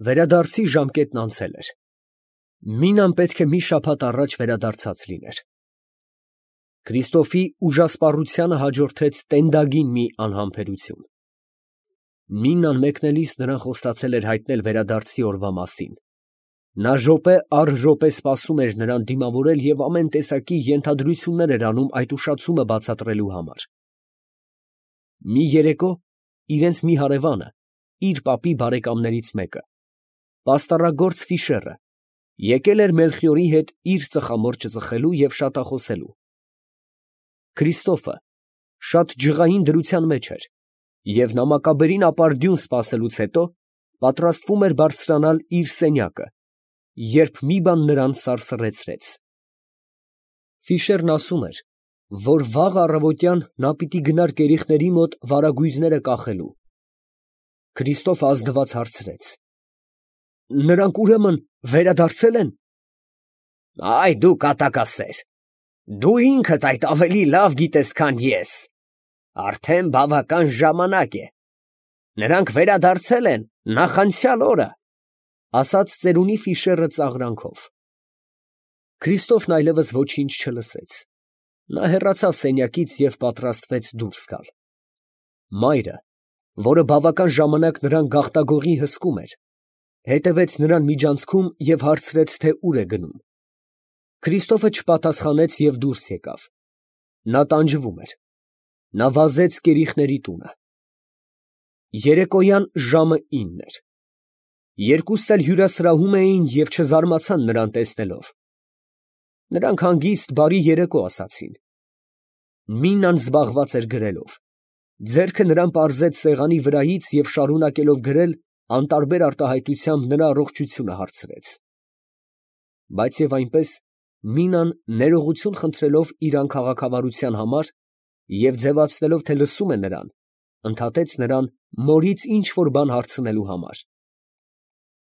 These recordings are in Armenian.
Վերադարձի ժամկետն անցել էր։ Մինան պետք է մի շաբաթ առաջ վերադարձած լիներ։ Քրիստոֆի ուժասպառությանը հաջորդեց տենդագին մի անհամբերություն։ Մինան մեկնելիս նրան խոստացել էր հայտնել վերադարձի օրվա մասին։ Նա րոպե առ րոպե սպասում էր նրան դիմավորել և ամեն տեսակի ենթադրություններ էր անում այդ ուշացումը բացատրելու համար։ Մի երեկո իրենց մի հարևանը, իր պապի բարեկամներից մեկը, պաստառագործ Ֆիշերը, եկել էր Մելխիորի հետ իր ծխամորճը ծխելու և շատախոսելու։ Քրիստոֆը շատ ջղային դրության մեջ էր և նամակաբերին ապարդյուն սպասելուց հետո պատրաստվում էր բարձրանալ իր սենյակը, երբ մի բան նրան սարսռեցրեց։ Ֆիշերն ասում էր, որ վաղ առավոտյան նա պիտի գնար կերիխների մոտ վարագույրները կախելու։ Քրիստոֆը ազդված հարցրեց. «Նրանք ուրեմն վերադարձել են»։ Այ դու կատակասեր, դու ինքդ այդ ավելի լավ գիտես, քան ես։ Արդեն բավական ժամանակ է։ Նրանք վերադարձել են նախանցյալ օրը, ասաց ծերունի Ֆիշերը ծաղրանքով։ Քրիստոֆն այլևս ոչինչ չլսեց։ Նա հեռացավ սենյակից և պատրաստվեց դուրս գալ։ Մայրը, որը բավական ժամանակ նրան գաղտագողի հսկում էր, հետևեց նրան միջանցքում և հարցրեց, թե ուր է գնում։ Քրիստոֆը չպատասխանեց և դուրս եկավ։ Նա տանջվում էր։ Նա վազեց կերիխների տունը։ Երեկոյան ժամը 9 էր։ Երկուսն էլ հյուրասրահում էին և չզարմացան նրան տեսնելով։ Նրանք հանգիստ բարի երեկո ասացին։ Մինան զբաղված էր գրելով։ Ձեռքը նրան պարզեց սեղանի վրայից և շարունակելով գրել, անտարբեր արտահայտությամբ նրա առողջությունը հարցրեց։ Բայց և այնպես, Մինան ներողություն խնդրելով իր անքաղաքավարության համար և ձևացնելով, թե լսում է նրան, ընդհատեց նրան մորից ինչ֊որ բան հարցնելու համար։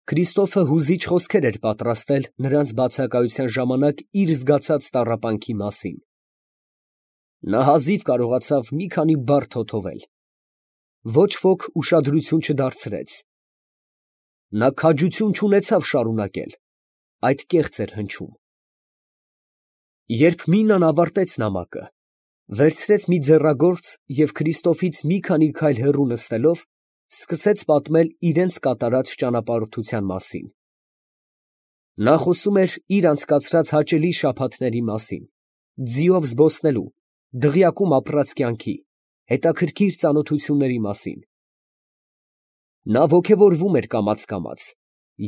Քրիստոֆը հուզիչ խոսքեր էր պատրաստել նրանց բացակայության ժամանակ իր զգացած տառապանքի մասին։ Նա հազիվ կարողացավ մի քանի բառ թոթովել։ Ոչ ոք ուշադրություն չդարձրեց։ Նա քաջություն չունեցավ շարունակել, այդ կեղծ էր հնչում։ Երբ Մինան ավարտեց նամակը, վերցրեց մի ձեռագործ և Քրիստոֆից մի քանի քայլ հեռու նստելով, սկսեց պատմել իրենց կատարած ճանապարհորդության մասին։ Նա խոսում էր իր անցկացրած հաճելի շաբաթների մասին, ձիով զբոսնելու, դղյակում ապրած կյանքի, հետաքրքիր ծանոթությունների մասին։ Նա ոգևորվում էր կամաց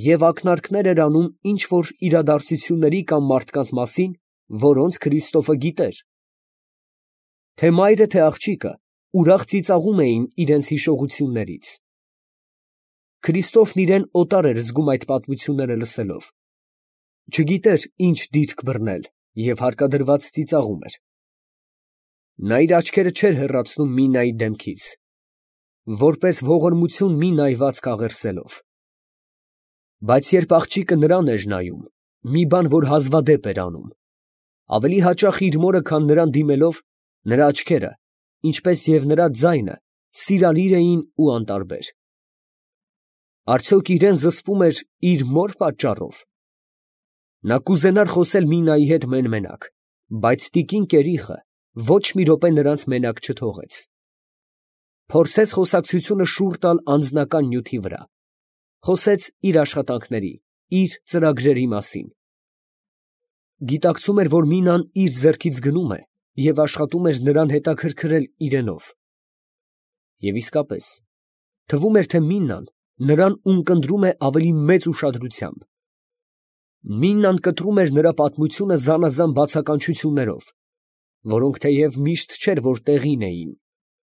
և ակնարկներ էր անում ինչ֊որ իրադարձությունների կամ մարդկանց մասին, որոնց Քրիստոֆը գիտեր։ Թե մայրը, թե աղջիկը ուրախ ծիծաղում էին իրենց հիշողություններից։ Քրիստոֆն իրեն օտար էր զգում այդ պատմությունները լսելով։ Չգիտեր ինչ դիրք բռնել և հարկադրված ծիծաղում էր։ Նա իր աչքերը չէր հեռացնում Մինայի դեմքից, որպես ողորմություն մի նայված կաղերսելով։ Բայց երբ աղջիկը նրան էր նայում, մի բան, որ հազվադեպ էր անում, ավելի հաճախ իր մորը, քան նրան դիմելով, նրա աչքերը, ինչպես և նրա ձայնը, սիրալիր էին ու անտարբեր։ Արդյոք իրեն զսպում էր իր մոր պատճառով։ Նա կուզենար խոսել Մինայի հետ մեն֊մենակ, բայց տիկին կերիխը ոչ մի րոպե նրանց մենակ չթողեց։ Փորձեց խոսակցությունը շուռ տալ անձնական նյութի վրա։ Խոսեց իր աշխատանքների, իր ծրագրերի մասին։ Գիտակցում էր, որ Մինան իր ձեռքից գնում է և աշխատում էր նրան հետաքրքրել իրենով։ Եվ իսկապես, թվում էր, թե Մինան նրան ունկնդրում է ավելի մեծ ուշադրությամբ։ Մինան կտրում էր նրա պատմությունը զանազան բացականչություններով, որոնք թեև միշտ չէր, որ տեղին էին,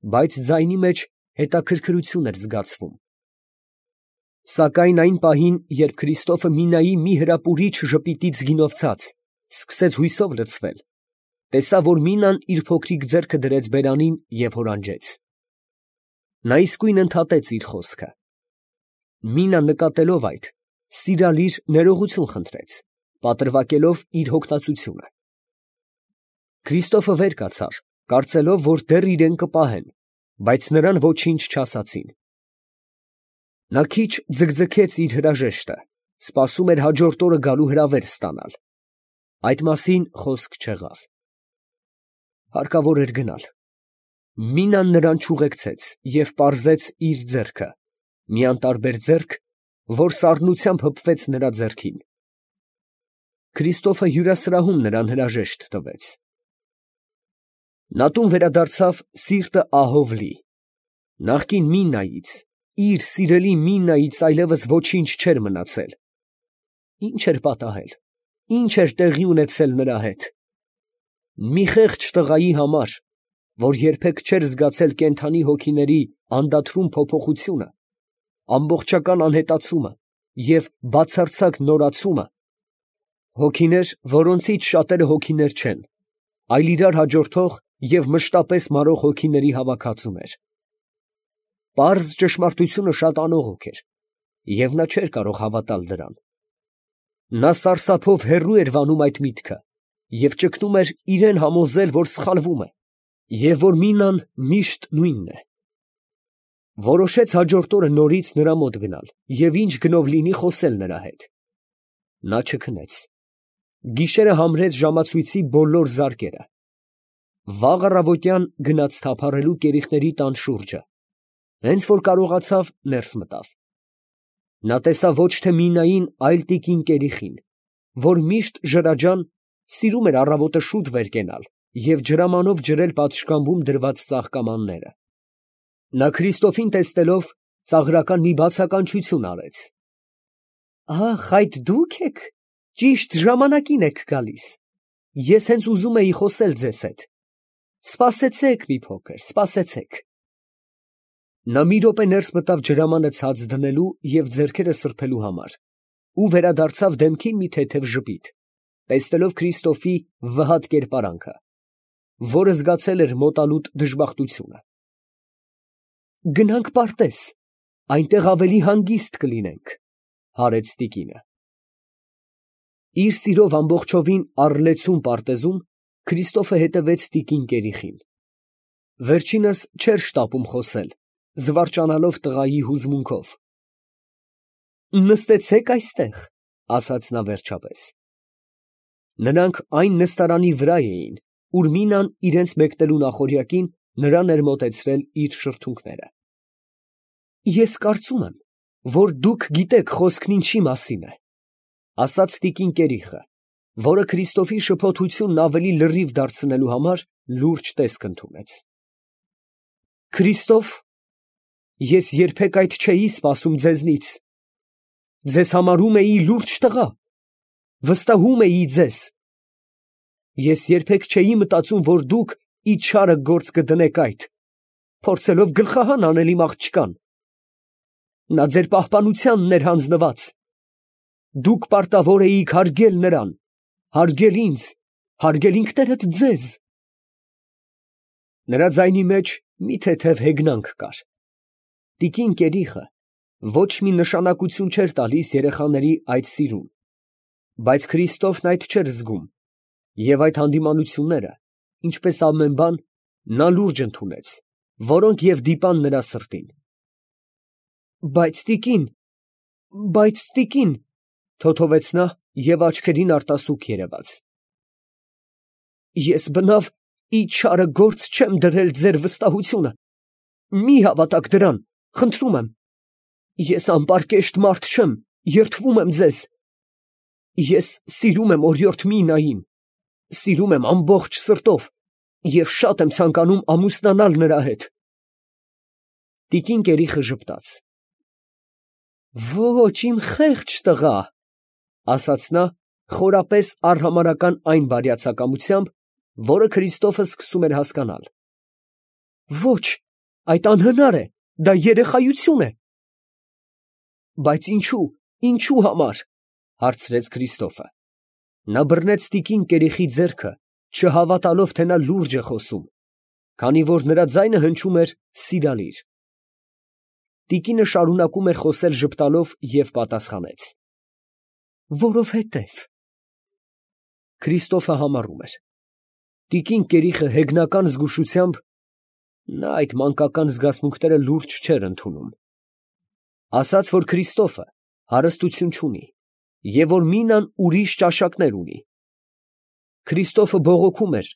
բայց ձայնի մեջ հետաքրքրություն էր զգացվում։ Սակայն այն պահին, երբ Քրիստոֆը Մինայի մի հրապուրիչ ժպիտից գինովցած սկսեց հույսով լցվել, տեսավ, որ Մինան իր փոքրիկ ձեռքը դրեց բերանին և հորանջեց։ Նա իսկույն ընդհատեց իր խոսքը։ Մինան նկատելով այդ, սիրալիր ներողություն խնդրեց, պատրվակելով իր հոգնածությունը։ Քրիստոֆը վեր կացավ, կարծելով, որ դեռ իրեն կպահեն, բայց նրան ոչինչ չասացին։ Նա քիչ ձգձգեց իր հրաժեշտը, սպասում էր հաջորդ օրը գալու հրավեր ստանալ։ Այդ մասին խոսք չեղավ։ Հարկավոր էր գնալ։ Մինան նրան չուղեկցեց և պարզեց իր ձեռքը, մի անտարբեր ձեռք, որ սառնությամբ հպվեց նրա ձեռքին։ Քրիստոֆը հյուրասրահում նրան հրաժեշտ տվեց։ Նա տուն վերադարձավ սիրտը ահով լի։ Նախկին Մինայից, իր սիրելի Մինայից այլևս ոչինչ չէր մնացել։ Ինչ էր պատահել, ինչ էր տեղի ունեցել նրա հետ։ Մի խեղճ տղայի համար, որ երբեք չէր զգացել կենդանի հոգիների անդադրուն փոփոխությունը, ամբողջական անհետացումը և բացարձակ նորացումը, հոգիներ, որոնցից շատերը հոգիներ չեն, այլ իրար հաջորդող և մշտապես մարող հոգիների հավաքածուներ։ Պարզ ճշմարտությունը շատ անողոք էր, և նա չէր կարող հավատալ դրան։ Նա սարսափով հեռու էր վանում այդ միտքը և ճգնում էր իրան համոզել, որ սխալվում է, և որ Մինան միշտ նույնն է։ Որոշեց հաջորդ օրը նորից նրա մոտ գնալ և ինչ գնով լինի խոսել նրա հետ։ Նա չքնեց։ Գիշերը համրեց ժամացույցի բոլոր զարկերը։ Վաղ առավոտյան գնաց թափառելու կերիխների տան շուրջը, հենց որ կարողացավ, ներս մտավ։ Նա տեսավ ոչ թե Մինային, այլ տիկին կերիխին, որ միշտ ջրաջան սիրում էր առավոտը շուտ վեր կենալ և ջրամանով ջրել պատշգամբում դրված ծաղկամանները։ Նա Քրիստոֆին տեսնելով, ծաղրական մի բացականչություն արեց։ «Ախ, այդ դուք եք, ճիշտ ժամանակին եք գալիս։ Ես հենց ուզում էի խոսել ձեզ հետ։ Սպասեցեք մի փոքր, սպասեցեք»։ Նա մի րոպե ներս մտավ ջրամանը ցած դնելու և ձեռքերը սրբելու համար ու վերադարձավ դեմքին մի թեթև ժպիտ, տեսնելով Քրիստոֆի վհատ կերպարանքը, որը զգացել էր մոտալուտ դժբախտությունը։ «Գնանք պարտեզ, այնտեղ ավելի հանգիստ կլինենք», ֊ հարեց տիկինը։ Իր սիրով ամբողջովին առլեցուն պարտեզում Քրիստոֆը հետևեց տիկին կերիխին։ Վերջինս չէր շտապում խոսել, զվարճանալով տղայի հուզմունքով։ «Նստեցեք այստեղ», ֊ ասաց նա վերջապես։ Նրանք այն նստարանի վրա էին, ուր Մինան իրենց մեկնելու նախօրյակին նրան էր մոտեցրել իր շրթունքները։ «Ես կարծում եմ, որ դուք գիտեք խոսքն ինչի մասին է», ֊ ասաց տիկին կերիխը, որը Քրիստոֆի շփոթությունն ավելի լրիվ դարձնելու համար լուրջ տեսք ընդունեց։ «Քրիստոֆ, ես երբեք այդ չէի սպասում ձեզնից։ Ձեզ համարում էի լուրջ տղա, վստահում էի ձեզ։ Ես երբեք չէի մտածում, որ դուք իչարը գործ կդնեք այդ, փորձելով գլխահան անել իմ աղջկան։ Նա ձեր պահպանությանն էր հանձնված։ Դուք պարտավոր էիք հարգել նրան, հարգել ինձ, հարգել ինքներդ ձեզ»։ Նրա ձայնի մեջ մի թեթև հեգնանք կար։ Տիկին կերիխը ոչ մի նշանակություն չէր տալիս երեխաների այդ սիրուն, բայց Քրիստոֆն այդ չէր զգում, և այդ հանդիմանությունները, ինչպես ամեն բան, նա լուրջ ընդունեց, որոնք և դիպան նրա սրտին։ Բայց տիկին, թոթովեց նա և աչքերին արտասուք երևաց։ Ես բնավ իչարը գործ չեմ դրել ձեր վստահությունը, մի հավատաք դրան, խնդրում եմ։ Ես անպարկեշտ մարդ չեմ, երդվում եմ ձեզ։ Ես սիրում եմ օրիորդ Մինային, սիրում եմ ամբողջ սրտով և շատ եմ ցանկանում ամուսնանալ նրա հետ։ Տիկին կերիխը ժպտաց։ «Ոչ, իմ խեղճ տղա», ֊ ասաց նա, խորապես արհամարհական այն բարյացակամությամբ, որը Քրիստոֆը սկսում էր հասկանալ։ «Ոչ, այդ անհնար է, դա երեխայություն է»։ «Բայց ինչու համար», ֊ հարցրեց Քրիստոֆը։ Նա բռնեց տիկին կերիխի ձեռքը, չհավատալով, թե նա լուրջ է խոսում, քանի որ նրա ձայնը հնչում էր սիրալիր։ Տիկինը շարունակում էր խոսել ժպտալով և պատասխանեց. «Որովհետև»։ Քրիստոֆը համառում էր։ Տիկին կերիխը հեգնական զգուշությամբ (նա այդ մանկական զգացմունքները լուրջ չէր ընդունում) ասաց, որ Քրիստոֆը հարստություն չունի և որ Մինան ուրիշ ճաշակներ ունի։ Քրիստոֆը բողոքում էր,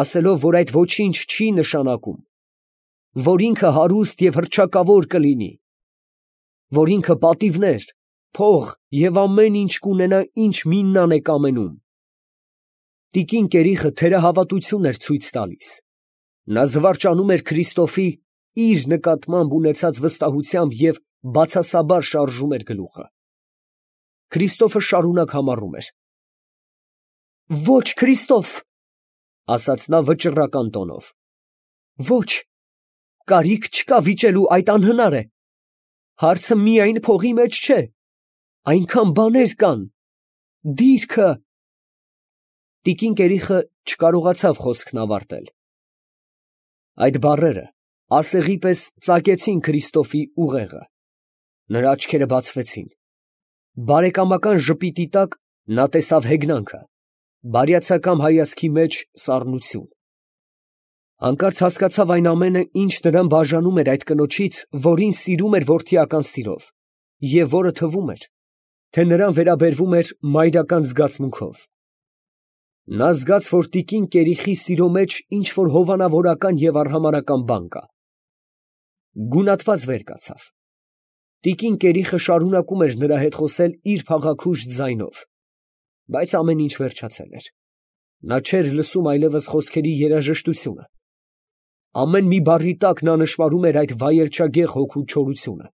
ասելով, որ այդ ոչինչ չի նշանակում, որ ինքը հարուստ և հռչակավոր կլինի, որ ինքը պատիվներ, փող և ամեն ինչ կունենա, ինչ Միննան է կամենում։ Տիկին Կերիխը թերահավատություն էր ցույց տալիս։ Նա զվարճանում էր Քրիստոֆի իր նկատմամբ ունեցած վստահությամբ և բացասաբար շարժում էր գլուխը։ Քրիստոֆը շարունակ համառում էր։ «Ոչ, Քրիստոֆ, ֊ ասաց նա վճռական տոնով, ֊ ոչ, կարիք չկա վիճելու, այդ անհնար է, հարցը միայն փողի մեջ չէ, այնքան բաներ կան, դիրքը…» Տիկին Կերիխը չկարողացավ խոսքն ավարտել։ Այդ բառերը ասեղի պես ծակեցին Քրիստոֆի ուղեղը, նրա աչքերը բացվեցին, բարեկամական ժպիտի տակ նա տեսավ հեգնանքը, բարյացակամ հայացքի մեջ սառնություն։ Հանկարծ հասկացավ այն ամենը, ինչ նրան բաժանում էր այդ կնոջից, որին սիրում էր որդիական սիրով, և որը թվում էր, թե նրան վերաբերվում էր մայրական զգացմունքով։ Նա զգաց, որ տիկին Կերիխի սիրո մեջ ինչ֊որ հովանավորական և արհամարհական բան կա։ Գունատված վեր կացավ։ Տիկին Կերիխը շարունակում էր նրա հետ խոսել իր փաղաքուշ ձայնով, բայց ամեն ինչ վերջացել էր։ Նա չէր լսում այլևս խոսքերի երաժշտությունը։ Ամեն մի բառի տակ նա նշմարում էր այդ վայելչագեղ հոգու չորությունը։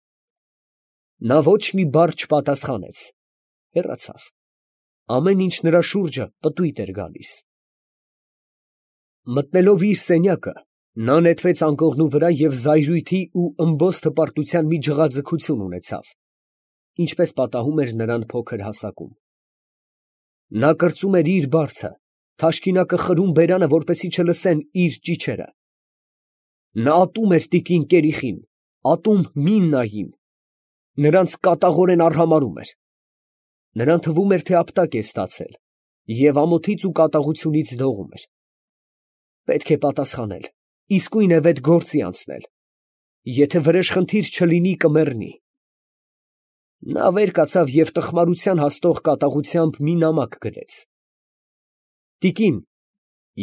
Նա ոչ մի բառ չպատասխանեց, հեռացավ։ Ամեն ինչ նրա շուրջը պտույտ էր գալիս։ Մտնելով իր սենյակը, նա նետվեց անկողնու վրա և զայրույթի ու ըմբոստ հպարտության մի ջղաձգություն ունեցավ, ինչպես պատահում էր նրան փոքր հասակում։ Նա կրծում էր իր բարձը, թաշկինակը խրում բերանը, որպեսզի չլսեն իր ճիչերը։ Նա ատում էր տիկին Կերիխին, ատում Միննային, նրանց կատաղորեն արհամարհում էր։ Նրան թվում էր, թե ապտակ է ստացել և ամոթից ու կատաղությունից դողում էր։ Պետք է պատասխանել, իսկույն է վետ գործի անցնել, եթե վրեժխնդիր չլինի, կմեռնի։ Նա վեր կացավ և տխմարության հասնող կատաղությամբ մի նամակ գրեց. «Տիկին,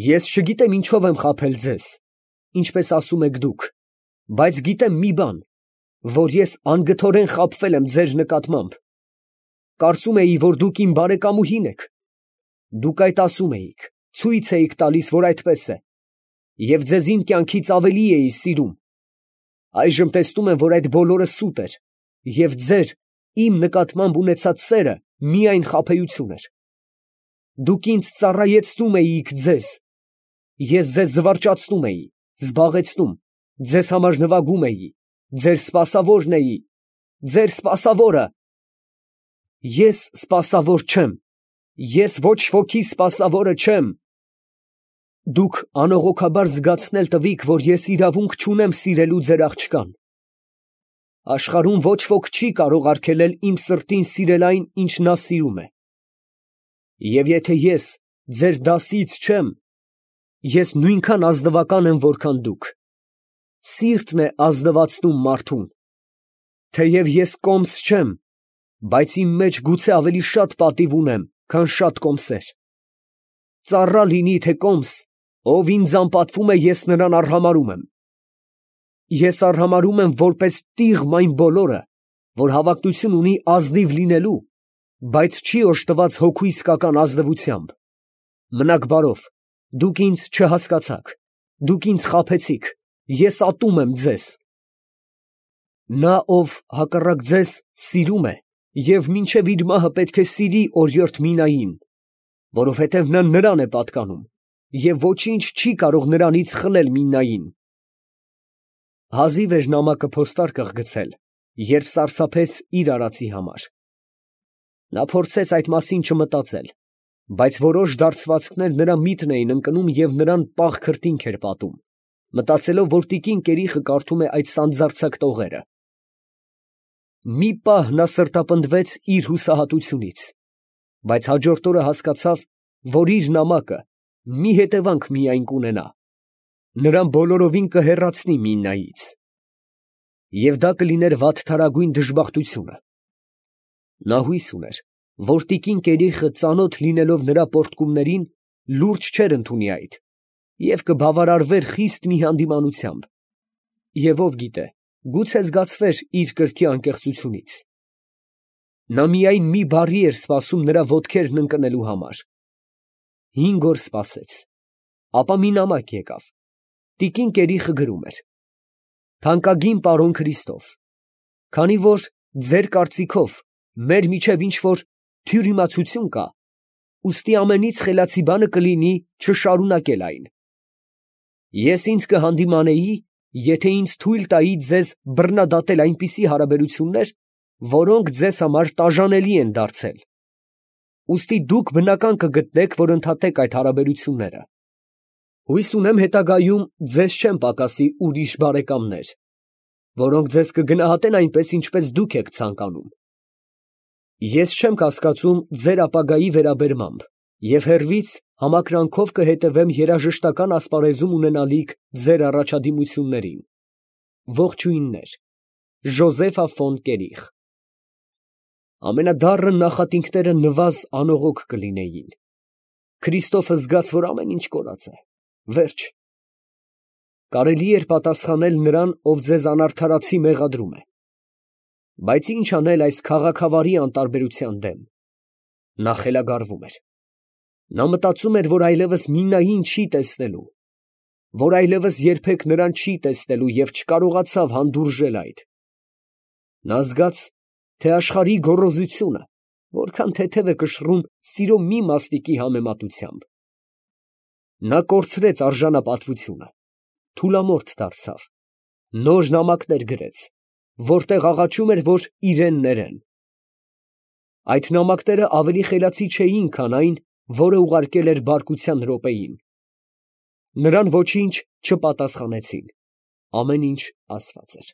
ես չգիտեմ ինչով եմ խաբել ձեզ, ինչպես ասում եք դուք, բայց գիտեմ մի բան, որ ես անգթորեն խաբվել եմ ձեր նկատմամբ։ Կարծում էի, որ դուք իմ բարեկամուհին եք։ Դուք այդ ասում էիք, ցույց էիք տալիս, որ այդպես է, և ձեզ իմ կյանքից ավելի էի սիրում։ Այժմ տեսնում եմ, որ այդ բոլորը սուտ էր, և ձեր իմ նկատմամբ ունեցած սերը միայն խաբեություն էր։ Դուք ինձ ծառայեցնում էիք ձեզ, ես ձեզ զվարճացնում էի, զբաղեցնում, ձեզ համար նվագում էի, ձեր սպասավորն էի, ձեր սպասավորը։ Ես սպասավոր չեմ, ես ոչ ոքի սպասավորը չեմ։ Դուք անողոքաբար զգացնել տվիք, որ ես իրավունք չունեմ սիրելու ձեր աղջկան։ Աշխարհում ոչ ոք չի կարող արգելել իմ սրտին սիրել այն, ինչ նա սիրում է։ Եվ եթե ես ձեր դասից չեմ, ես նույնքան ազնվական եմ, որքան դուք։ Սիրտն է ազնվացնում մարդուն։ Թեև ես կոմս չեմ, բայց իմ մեջ գուցե ավելի շատ պատիվ ունեմ, քան շատ կոմսեր։ Ծառա լինի, թե կոմս, ով ինձ անպատվում է, ես նրան արհամարհում եմ։ Ես արհամարհում եմ որպես տիղմ այն բոլորը, որ հավակնություն ունի ազնիվ լինելու, բայց չի օժտված հոգու իսկական ազնվությամբ։ Մնաք բարով, դուք ինձ չհասկացաք, դուք ինձ խաբեցիք, ես ատում եմ ձեզ։ Նա, ով հակառակ ձեզ սիրում է և մինչև իր մահը պետք է սիրի օրիորդ Մինային, որովհետև նա նրան է պատկանում, և ոչինչ չի կարող նրանից խլել Միննային։ Հազիվ էր նամակը փոստարկղ գցել, երբ սարսափեց իր արածի համար։ Նա փորձեց այդ մասին չմտածել, բայց որոշ դարձվածքներ նրա միտքն էին ընկնում և նրան պաղ քրտինք էր պատում, մտածելով, որ տիկին Կերիխը կարդում է այդ սանձարձակ տողերը։ Մի պահ նա սրտապնդվեց իր հուսահատությունից, բայց հաջորդ օրը հասկացավ, որ իր նամակը մի հետևանք միայն կունենա. նրան բոլորովին կհեռացնի Միննայից։ Եվ դա կլիներ վատթարագույն դժբախտությունը։ Նա հույս ուներ, որ տիկին Կերիխը ծանոթ լինելով նրա պոռթկումներին, լուրջ չէր ընդունի այդ և կբավարարվեր խիստ մի հանդիմանությամբ, և ով գիտե, գուցե զգացվեր իր կրքի անկեղծությունից։ Նա միայն մի բառի էր սպասում նրա ոտքերն ընկնելու համար։ 5 օր սպասեց, ապա մի նամակ եկավ։ Տիկին Կերիխը գրում էր. «Թանկագին պարոն Քրիստոֆ, քանի որ ձեր կարծիքով մեր միջև ինչ որ թյուրիմացություն կա, ուստի ամենից խելացի բանը կլինի չշարունակել այն։ Ես ինձ կհանդիմանեի, եթե ինձ թույլ տայի ձեզ բռնադատել այնպիսի հարաբերություններ, որոնք ձեզ համար տաժանելի են դարձել։ Ուստի դուք բնական կգտնեք, որ ընդհատեք այդ հարաբերությունները։ Հույս ունեմ հետագայում ձեզ չեն պակասի ուրիշ բարեկամներ, որոնք ձեզ կգնահատեն այնպես, ինչպես դուք եք ցանկանում։ Ես չեմ կասկածում ձեր ապագայի վերաբերմամբ և հեռվից համակրանքով կհետևեմ երաժշտական ասպարեզում ունենալիք ձեր առաջադիմություններին։ Ողջույններ, Ժոզեֆա ֆոն Կերիխ։ Ամենադառն նախատինքները նվազ անողոք կլինեին։ Քրիստոֆը զգաց, որ ամեն ինչ կորած է, վերջ։ Կարելի էր պատասխանել նրան, ով ձեզ անարդարացի մեղադրում է։ Բայց ինչ անել այս քաղաքավարի անտարբերության դեմ։ Նա խելագարվում էր։ Նա մտածում էր, որ այլևս Մինային չի տեսնելու, որ այլևս երբեք նրան չի տեսնելու և չկարողացավ հանդուրժել այդ։ Նա զգաց, թե աշխարհի գոռոզությունը որքան թեթև է կշռում սիրո մի մասնիկի համեմատությամբ։ Նա կորցրեց արժանապատվությունը, թուլամորթ դարձավ, նոր նամակներ գրեց, որտեղ աղաչում էր, որ իրան ներեն։ Այդ նամակները ավելի խելացի չէին, քան այն, որը ուղարկել էր բարկության րոպեին։ Նրան ոչինչ չպատասխանեցին, ամեն ինչ ասված էր։